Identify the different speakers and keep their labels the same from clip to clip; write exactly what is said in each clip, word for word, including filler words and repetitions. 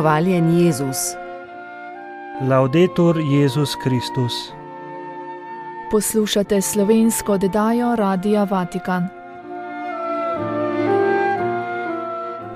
Speaker 1: Hvaljen Jezus.
Speaker 2: Laudetur Jezus Kristus.
Speaker 3: Poslušate slovensko oddajo Radia Vatikan.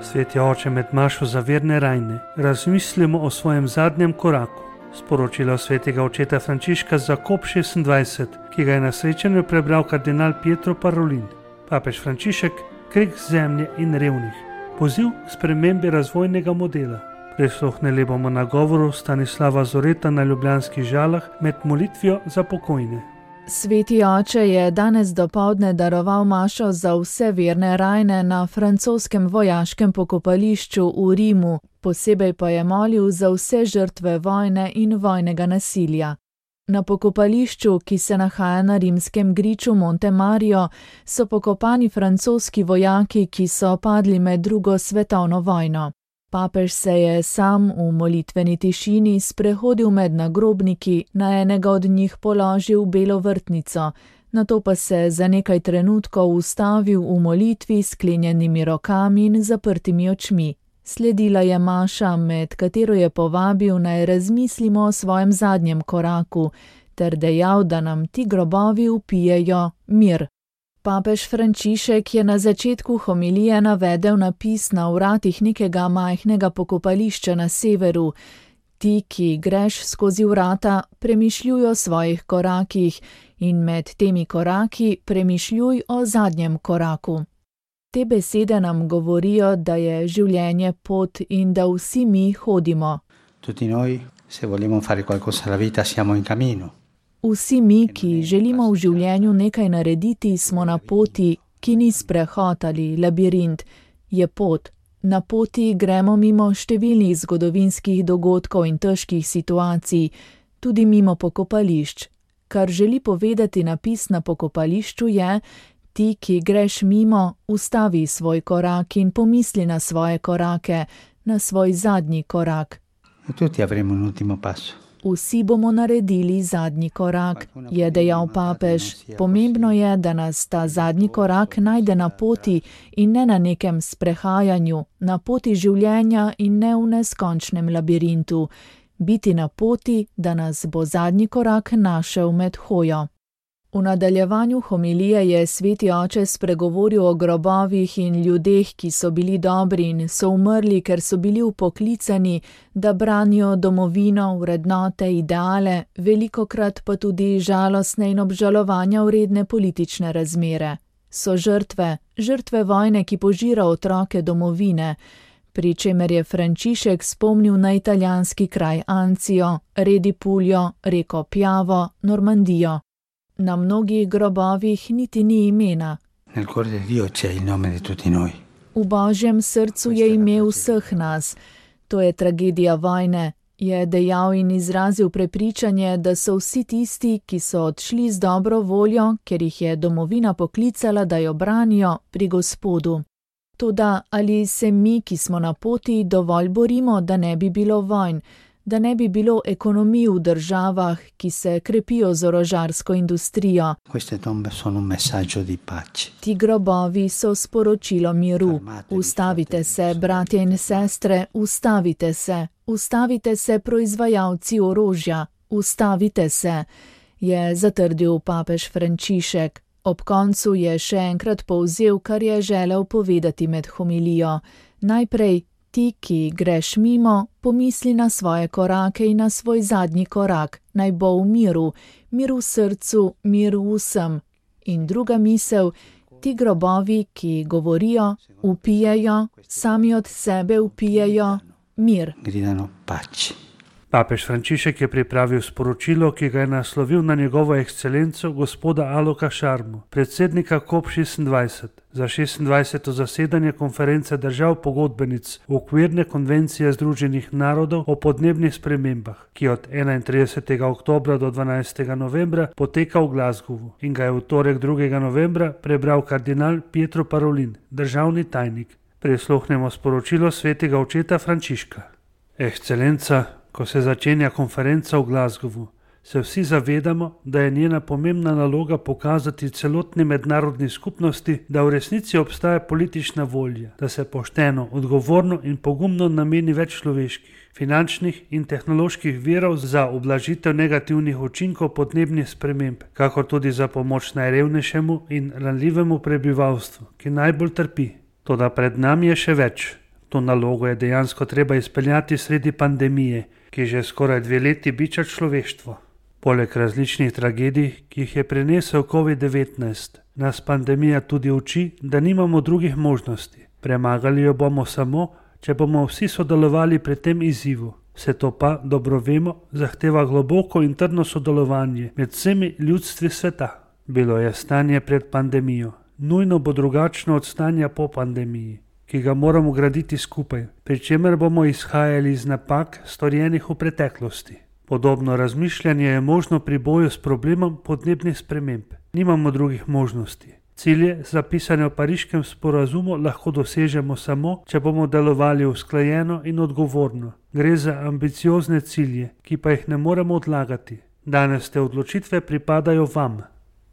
Speaker 2: Sveti oče, med mašo za verne rajne razmislimo o svojem zadnjem koraku. Sporočilo svetega očeta Frančiška za kop šestindvajset, ki ga je na srečanju prebral kardinal Pietro Parolin. Papež Frančišek, kreg zemlje in revnih. Poziv k spremembi razvojnega modela. Prisluhnili bomo nagovoru Stanislava Zoreta na ljubljanskih Žalah med molitvijo za pokojne.
Speaker 3: Sveti oče je danes dopoldne daroval mašo za vse verne rajne na francoskem vojaškem pokopališču v Rimu, posebej pa je molil za vse žrtve vojne in vojnega nasilja. Na pokopališču, ki se nahaja na rimskem griču Monte Mario, so pokopani francoski vojaki, ki so padli med drugo svetovno vojno. Papež se je sam v molitveni tišini sprehodil med nagrobniki, na enega od njih položil belo vrtnico, nato pa se za nekaj trenutkov ustavil v molitvi s sklenjenimi rokami in zaprtimi očmi. Sledila je maša, med katero je povabil naj razmislimo o svojem zadnjem koraku, ter dejal, da nam ti grobovi vpijejo mir. Papež Frančišek je na začetku homilije navedel napis na vratih nekega majhnega pokopališča na severu. Ti, ki greš skozi vrata, premišljuj o svojih korakih in med temi koraki premišljuj o zadnjem koraku. Te besede nam govorijo, da je življenje pot in da vsi mi hodimo.
Speaker 4: Tutti noi, se vogliamo fare qualcosa alla vita, siamo in cammino.
Speaker 3: Vsi mi, ki želimo v življenju nekaj narediti, smo na poti, ki ni sprehod ali labirint, je pot. Na poti gremo mimo številnih zgodovinskih dogodkov in težkih situacij, tudi mimo pokopališč. Kar želi povedati napis na pokopališču je: ti, ki greš mimo, ustavi svoj korak in pomisli na svoje korake, na svoj zadnji korak.
Speaker 4: Tutti avremo un ultimo passo.
Speaker 3: Vsi bomo naredili zadnji korak, je dejal papež. Pomembno je, da nas ta zadnji korak najde na poti in ne na nekem sprehajanju, na poti življenja in ne v neskončnem labirintu. Biti na poti, da nas bo zadnji korak našel med hojo. V nadaljevanju homilije je sveti oče spregovoril o grobovih in ljudeh, ki so bili dobri in so umrli, ker so bili upoklicani, da branijo domovino, vrednote, ideale, velikokrat pa tudi žalostne in obžalovanja vredne politične razmere. So žrtve, žrtve vojne, ki požira otroke domovine, pri čemer je Frančišek spomnil na italijanski kraj Anzio, Redi Puljo, reko Piavo, Normandijo. Na mnogih grobovih niti ni imena.
Speaker 4: Nel cuore di Dio c'è il nome di tutti noi.
Speaker 3: V Božjem srcu je ime vseh nas. To je tragedija vojne, je dejal in izrazil prepričanje, da so vsi tisti, ki so odšli z dobro voljo, ker jih je domovina poklicala, da jo branijo, pri Gospodu. Toda ali se mi, ki smo na poti, dovolj borimo, da ne bi bilo vojn, da ne bi bilo ekonomij v državah, ki se krepijo z orožarsko industrijo.
Speaker 4: Queste tombe sono un messaggio di pace.
Speaker 3: Ti grobovi so sporočilo miru. Ustavite se, bratje in sestre, ustavite se. Ustavite se, proizvajalci orožja. Ustavite se, je zatrdil papež Frančišek. Ob koncu je še enkrat povzel, kar je želel povedati med homilijo. Najprej, ti, ki greš mimo, pomisli na svoje korake in na svoj zadnji korak, naj bo v miru, mir v srcu, mir vsem. In druga misel, ti grobovi, ki govorijo, vpijejo, sami od sebe vpijejo mir.
Speaker 4: Gridano pace.
Speaker 2: Papež Frančišek je pripravil sporočilo, ki ga je naslovil na njegovo ekscelenco gospoda Aloka Šarmo, predsednika kop šestindvajset, za šestindvajseto zasedanje konference držav pogodbenic okvirne konvencije Združenih narodov o podnebnih spremembah, ki od enaintridesetega oktobra do dvanajstega novembra poteka v Glasgowu in ga je v torek drugega novembra prebral kardinal Pietro Parolin, državni tajnik. Prisluhnemo sporočilo svetega očeta Frančiška. Ekscelenca, ko se začenja konferenca v Glasgowu, se vsi zavedamo, da je njena pomembna naloga pokazati celotni mednarodni skupnosti, da v resnici obstaja politična volja, da se pošteno, odgovorno in pogumno nameni več človeških, finančnih in tehnoloških virov za ublažitev negativnih učinkov podnebnih sprememb, kakor tudi za pomoč najrevnejšemu in ranljivemu prebivalstvu, ki najbolj trpi. Toda pred nami je še več. To nalogo je dejansko treba izpeljati sredi pandemije, ki že skoraj dve leti biča človeštvo. Poleg različnih tragedij, ki jih je prinesel covid devetnajst, nas pandemija tudi uči, da nimamo drugih možnosti. Premagali jo bomo samo, če bomo vsi sodelovali pri tem izzivu. Vse to pa, dobro vemo, zahteva globoko in trdno sodelovanje med vsemi ljudstvi sveta. Bilo je stanje pred pandemijo. Nujno bo drugačno od stanja po pandemiji, ki ga moramo graditi skupaj, pri čemer bomo izhajali iz napak, storjenih v preteklosti. Podobno razmišljanje je možno pri boju s problemom podnebnih sprememb. Nimamo drugih možnosti. Cilje, zapisane v Pariškem sporazumu, lahko dosežemo samo, če bomo delovali usklajeno in odgovorno. Gre za ambiciozne cilje, ki pa jih ne moremo odlagati. Danes te odločitve pripadajo vam.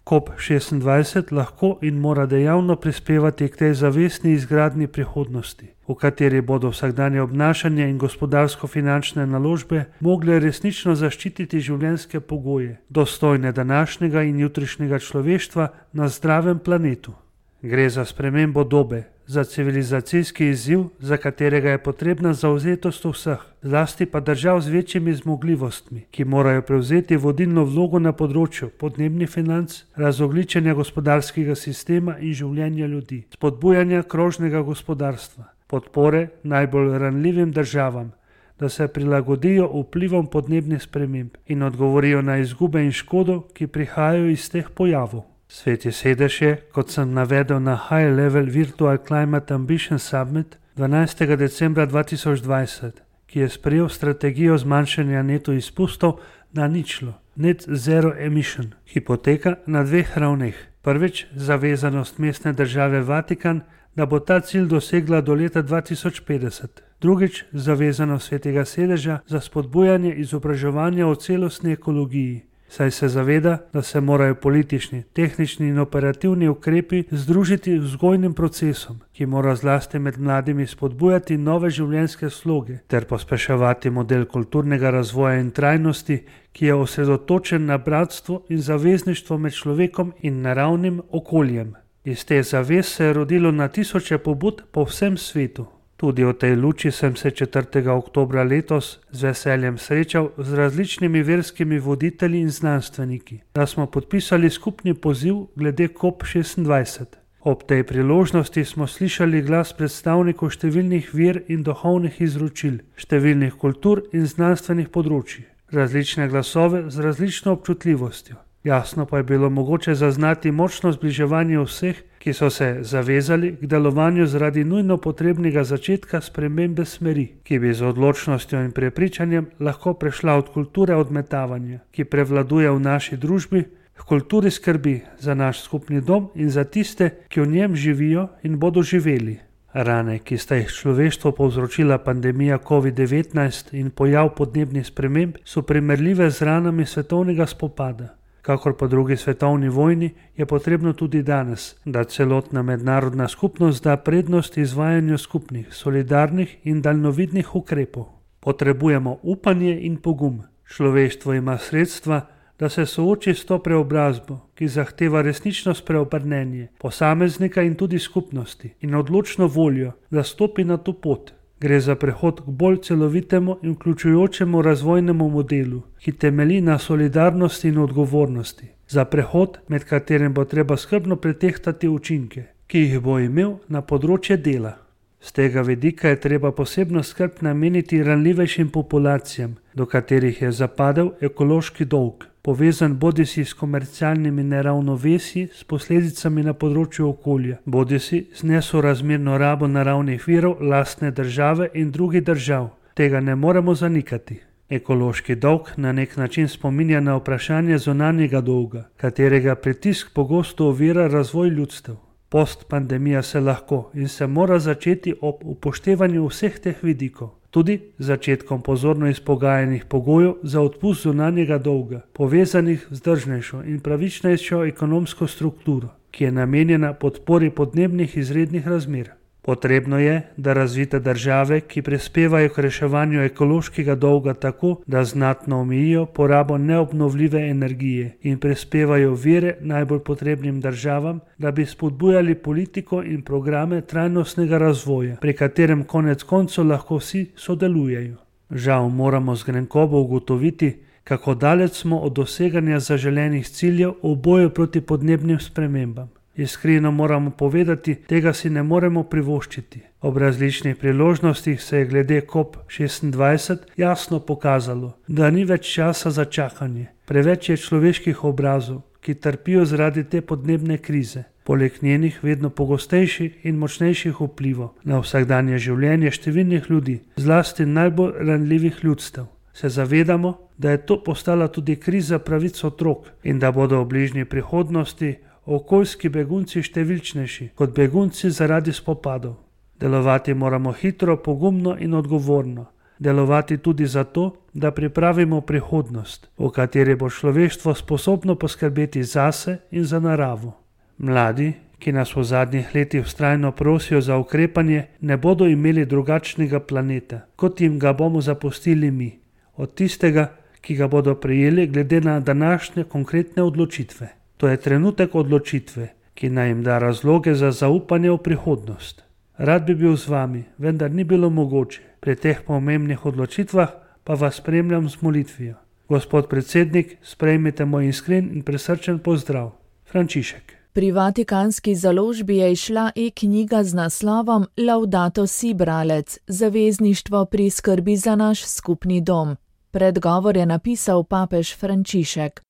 Speaker 2: COP šestindvajset lahko in mora dejavno prispevati k tej zavestni izgradnji prihodnosti, v kateri bodo vsakdanje obnašanje in gospodarsko-finančne naložbe mogle resnično zaščititi življenjske pogoje, dostojne današnjega in jutrišnjega človeštva na zdravem planetu. Gre za spremembo dobe, za civilizacijski izziv, za katerega je potrebna zavzetost vseh, zlasti pa držav z večjimi zmogljivostmi, ki morajo prevzeti vodilno vlogo na področju podnebnih financ, razogljičenja gospodarskega sistema in življenja ljudi, spodbujanja krožnega gospodarstva, podpore najbolj ranljivim državam, da se prilagodijo vplivom podnebnih sprememb in odgovorijo na izgube in škodo, ki prihajajo iz teh pojavov. Sveti sedež je, kot sem navedel na High Level Virtual Climate Ambition Summit dvanajstega decembra dva tisoč dvajset, ki je sprejel strategijo zmanjšanja neto izpustov na ničlo, Net Zero Emission, ki poteka na dveh ravneh. Prvič, zavezanost mestne države Vatikan, da bo ta cilj dosegla do leta dva tisoč petdeset. Drugič, zavezanost svetega sedeža za spodbujanje izobraževanja o celostni ekologiji, saj se zaveda, da se morajo politični, tehnični in operativni ukrepi združiti z vzgojnim procesom, ki mora zlasti med mladimi spodbujati nove življenjske sloge ter pospeševati model kulturnega razvoja in trajnosti, ki je osredotočen na bratstvo in zavezništvo med človekom in naravnim okoljem. Iz te zavez se je rodilo na tisoče pobud po vsem svetu. Tudi v tej luči sem se četrtega oktobra letos z veseljem srečal z različnimi verskimi voditelji in znanstveniki, da smo podpisali skupni poziv glede COP šestindvajset. Ob tej priložnosti smo slišali glas predstavnikov številnih ver in duhovnih izročil, številnih kultur in znanstvenih področij, različne glasove z različno občutljivostjo. Jasno pa je bilo mogoče zaznati močno zbliževanje vseh, ki so se zavezali k delovanju zaradi nujno potrebnega začetka spremembe smeri, ki bi z odločnostjo in prepričanjem lahko prešla od kulture odmetavanja, ki prevladuje v naši družbi, k kulturi skrbi za naš skupni dom in za tiste, ki v njem živijo in bodo živeli. Rane, ki sta jih človeštvo povzročila pandemija covid devetnajst in pojav podnebnih sprememb, so primerljive z ranami svetovnega spopada. Kakor po drugi svetovni vojni je potrebno tudi danes, da celotna mednarodna skupnost da prednost izvajanju skupnih, solidarnih in daljnovidnih ukrepov. Potrebujemo upanje in pogum. Človeštvo ima sredstva, da se sooči s to preobrazbo, ki zahteva resnično spreobrnenje posameznika in tudi skupnosti in odločno voljo, da stopi na to pot. Gre za prehod k bolj celovitemu in vključujočemu razvojnemu modelu, ki temelji na solidarnosti in odgovornosti. Za prehod, med katerim bo treba skrbno pretehtati učinke, ki jih bo imel na področje dela. Z tega vidika je treba posebno skrb nameniti ranljivejšim populacijam, do katerih je zapadel ekološki dolg, povezan bodisi s komercialnimi neravnovesji s posledicami na področju okolja, bodisi z nesorazmerno rabo naravnih virov lastne države in drugih držav. Tega ne moremo zanikati. Ekološki dolg na nek način spominja na vprašanje zunanjega dolga, katerega pritisk pogosto ovira razvoj ljudstev. Postpandemija se lahko in se mora začeti ob upoštevanju vseh teh vidikov. tudi z začetkom pozorno izpogajanih pogojev za odpust zunanjega dolga, povezanih z vzdržnejšo in pravičnejšo ekonomsko strukturo, ki je namenjena podpori podnebnih izrednih razmer. Potrebno je, da razvite države, ki prispevajo k reševanju ekološkega dolga tako, da znatno omejijo porabo neobnovljive energije in prispevajo vire najbolj potrebnim državam, da bi spodbujali politiko in programe trajnostnega razvoja, pri katerem konec koncev lahko vsi sodelujejo. Žal moramo z grenkobo ugotoviti, kako daleč smo od doseganja zaželenih ciljev v boju proti podnebnim spremembam. Iskreno moramo povedati, tega si ne moremo privoščiti. Ob različnih priložnostih se je glede kop šestindvajset jasno pokazalo, da ni več časa za čakanje. Preveč je človeških obrazov, ki trpijo zaradi te podnebne krize, poleg njenih vedno pogostejših in močnejših vplivov na vsakdanje življenje številnih ljudi, zlasti najbolj ranljivih ljudstev. Se zavedamo, da je to postala tudi kriza pravic otrok in da bodo v bližnji prihodnosti okoljski begunci številčnejši kot begunci zaradi spopadov. Delovati moramo hitro, pogumno in odgovorno. Delovati tudi zato, da pripravimo prihodnost, v kateri bo človeštvo sposobno poskrbeti zase in za naravo. Mladi, ki nas v zadnjih letih vztrajno prosijo za ukrepanje, ne bodo imeli drugačnega planeta, kot jim ga bomo zapustili mi, od tistega, ki ga bodo prejeli glede na današnje konkretne odločitve. To je trenutek odločitve, ki naj jim da razloge za zaupanje v prihodnost. Rad bi bil z vami, vendar ni bilo mogoče. Pri teh pomembnih odločitvah pa vas spremljam z molitvijo. Gospod predsednik, sprejmite moj iskren in prisrčen pozdrav. Frančišek.
Speaker 3: Pri Vatikanski založbi je izšla e-knjiga z naslovom Laudato si, bralec, zavezništvo pri skrbi za naš skupni dom. Predgovor je napisal papež Frančišek.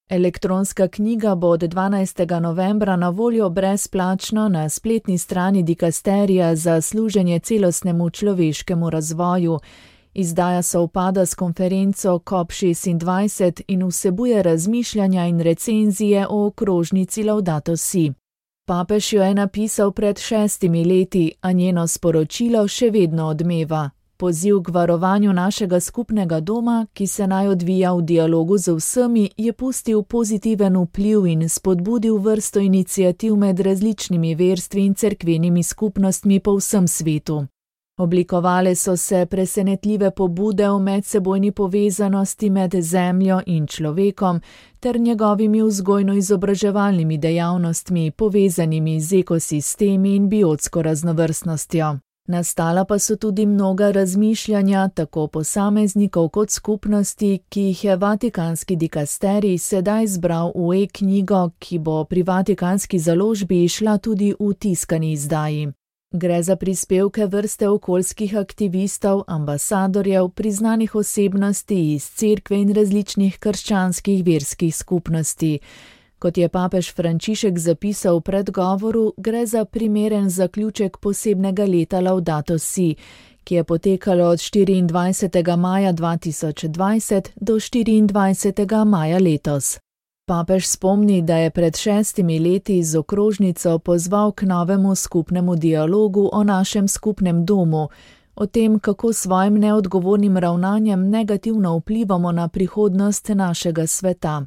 Speaker 3: Elektronska knjiga bo od dvanajstega novembra na voljo brezplačno na spletni strani dikasterija za služenje celostnemu človeškemu razvoju. Izdaja sovpada s konferenco kop šestindvajset in vsebuje razmišljanja in recenzije o okrožnici Laudato si. Papež jo je napisal pred šestimi leti, a njeno sporočilo še vedno odmeva. Poziv k varovanju našega skupnega doma, ki se naj odvija v dialogu z vsemi, je pustil pozitiven vpliv in spodbudil vrsto iniciativ med različnimi verstvi in cerkvenimi skupnostmi po vsem svetu. Oblikovale so se presenetljive pobude o medsebojni povezanosti med zemljo in človekom ter njegovimi vzgojno-izobraževalnimi dejavnostmi, povezanimi z ekosistemi in biotsko raznovrstnostjo. Nastala pa so tudi mnoga razmišljanja tako posameznikov kot skupnosti, ki jih je Vatikanski dikasterij sedaj zbral v e-knjigo, ki bo pri Vatikanski založbi išla tudi v tiskani izdaji. Gre za prispevke vrste okoljskih aktivistov, ambasadorjev, priznanih osebnosti iz cerkve in različnih krščanskih verskih skupnosti. Kot je papež Frančišek zapisal v predgovoru, gre za primeren zaključek posebnega leta Laudato si, ki je potekalo od štiriindvajsetega maja dva tisoč dvajset do štiriindvajsetega maja letos. Papež spomni, da je pred šestimi leti z okrožnico pozval k novemu skupnemu dialogu o našem skupnem domu, o tem, kako svojim neodgovornim ravnanjem negativno vplivamo na prihodnost našega sveta.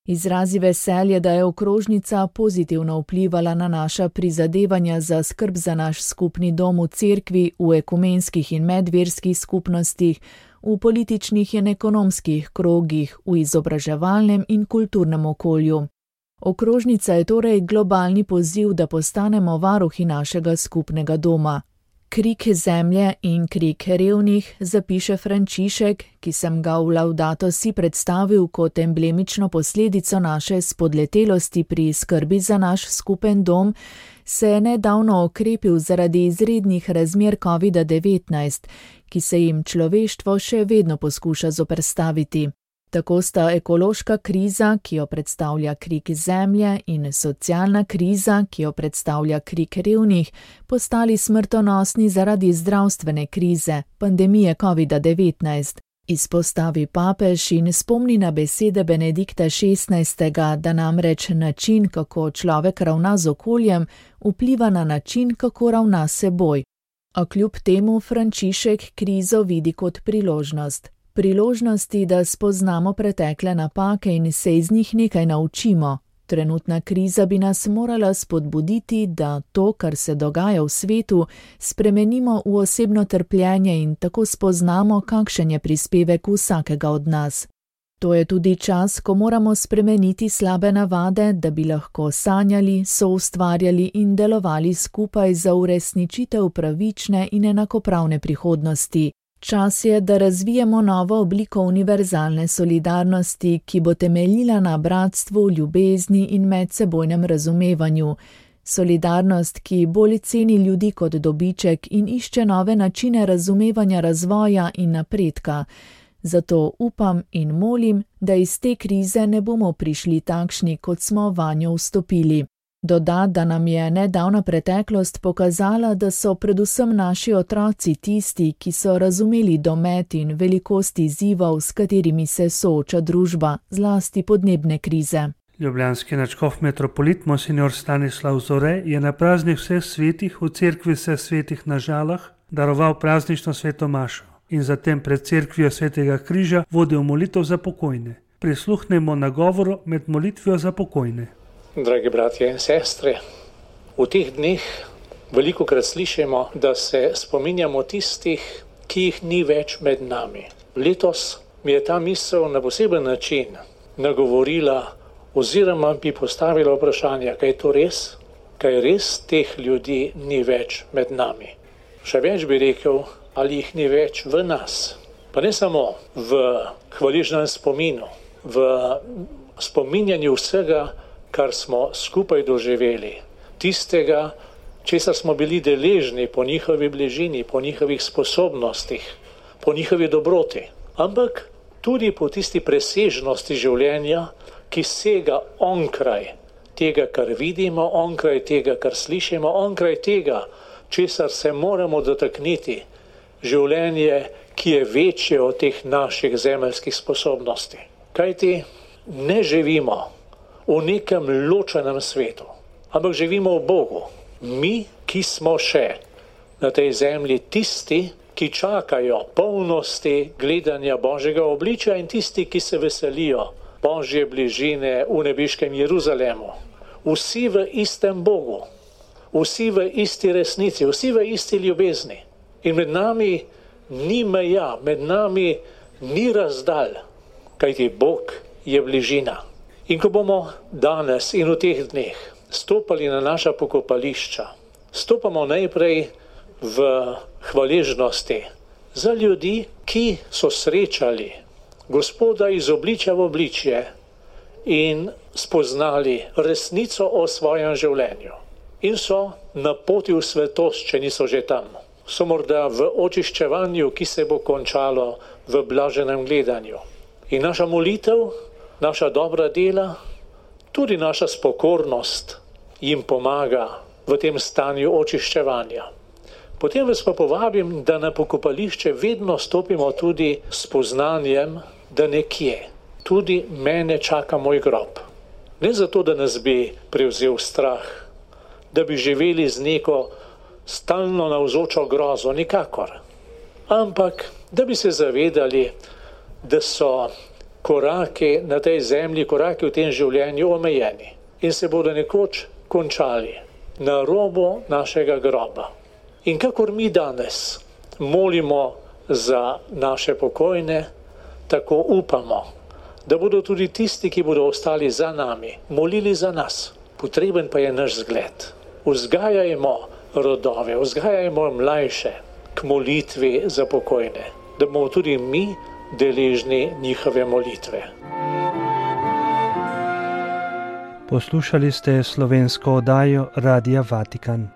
Speaker 3: Izrazi veselje, da je okrožnica pozitivno vplivala na naša prizadevanja za skrb za naš skupni dom v cerkvi, v ekumenskih in medverskih skupnostih, v političnih in ekonomskih krogih, v izobraževalnem in kulturnem okolju. Okrožnica je torej globalni poziv, da postanemo varuhi našega skupnega doma. Krik zemlje in krik revnih, zapiše Frančišek, ki sem ga v Laudato si predstavil kot emblemično posledico naše spodletelosti pri skrbi za naš skupen dom, se je nedavno okrepil zaradi izrednih razmer covida devetnajst, ki se jim človeštvo še vedno poskuša zoperstaviti. Tako sta ekološka kriza, ki jo predstavlja krik zemlje, in socialna kriza, ki jo predstavlja krik revnih, postali smrtonosni zaradi zdravstvene krize, pandemije covida devetnajst. Izpostavi papež in spomni na besede Benedikta šestnajstega, da namreč način, kako človek ravna z okoljem, vpliva na način, kako ravna s seboj. A kljub temu Frančišek krizo vidi kot priložnost. Priložnosti, da spoznamo pretekle napake in se iz njih nekaj naučimo. Trenutna kriza bi nas morala spodbuditi, da to, kar se dogaja v svetu, spremenimo v osebno trpljenje in tako spoznamo, kakšen je prispevek vsakega od nas. To je tudi čas, ko moramo spremeniti slabe navade, da bi lahko sanjali, soustvarjali in delovali skupaj za uresničitev pravične in enakopravne prihodnosti. Čas je, da razvijemo novo obliko univerzalne solidarnosti, ki bo temeljila na bratstvu, ljubezni in medsebojnem razumevanju. Solidarnost, ki bolj ceni ljudi kot dobiček in išče nove načine razumevanja razvoja in napredka. Zato upam in molim, da iz te krize ne bomo prišli takšni, kot smo vanjo vstopili. Doda, da nam je nedavna preteklost pokazala, da so predvsem naši otroci tisti, ki so razumeli domet in velikost izzivov, s katerimi se sooča družba, zlasti podnebne krize.
Speaker 2: Ljubljanski nadškof metropolit monsignor Stanislav Zore je na praznih vseh svetih v cerkvi vseh svetih na Žalah daroval praznično sveto mašo in zatem pred cerkvijo Svetega križa vodil molitev za pokojne. Prisluhnemo nagovoru med molitvijo za pokojne.
Speaker 1: Dragi bratje in sestre, v teh dneh velikokrat slišimo, da se spominjamo tistih, ki jih ni več med nami. Letos mi je ta misel na poseben način nagovorila oziroma bi postavila vprašanje, kaj je to res, kaj res teh ljudi ni več med nami. Še več bi rekel, ali jih ni več v nas. Pa ne samo v hvaležnem spominu, v spominjanju vsega, kar smo skupaj doživeli, tistega, česar smo bili deležni po njihovi bližini, po njihovih sposobnostih, po njihovi dobroti, ampak tudi po tisti presežnosti življenja, ki sega onkraj tega, kar vidimo, onkraj tega, kar slišimo, onkraj tega, česar se moramo dotakniti, življenje, ki je večje od teh naših zemeljskih sposobnosti. Kajti ne živimo v nekem ločenem svetu, ampak živimo v Bogu. Mi, ki smo še na tej zemlji tisti, ki čakajo polnosti gledanja Božjega obličja in tisti, ki se veselijo Božje bližine v nebeškem Jeruzalemu. Vsi v istem Bogu, vsi v isti resnici, vsi v isti ljubezni. In med nami ni meja, med nami ni razdalj, kajti Bog je bližina. In ko bomo danes in v teh dneh stopali na naša pokopališča, stopamo najprej v hvaležnosti za ljudi, ki so srečali Gospoda iz obličja v obličje in spoznali resnico o svojem življenju. In so na poti v svetost, če niso že tam. So morda v očiščevanju, ki se bo končalo v blaženem gledanju. In naša molitev, naša dobra dela, tudi naša spokornost jim pomaga v tem stanju očiščevanja. Potem vas pa povabim, da na pokopališče vedno stopimo tudi s poznanjem, da nekje tudi mene čaka moj grob. Ne zato, da nas bi prevzel strah, da bi živeli z neko stalno navzočo grozo, nikakor. Ampak, da bi se zavedali, da so koraki na tej zemlji, koraki v tem življenju omejeni in se bodo nekoč končali na robu našega groba. In kakor mi danes molimo za naše pokojne, tako upamo, da bodo tudi tisti, ki bodo ostali za nami, molili za nas. Potreben pa je naš zgled. Vzgajajmo rodove, vzgajajmo mlajše k molitvi za pokojne, da bomo tudi mi deležni njihove molitve.
Speaker 2: Poslušali ste slovensko oddajo Radia Vatikan.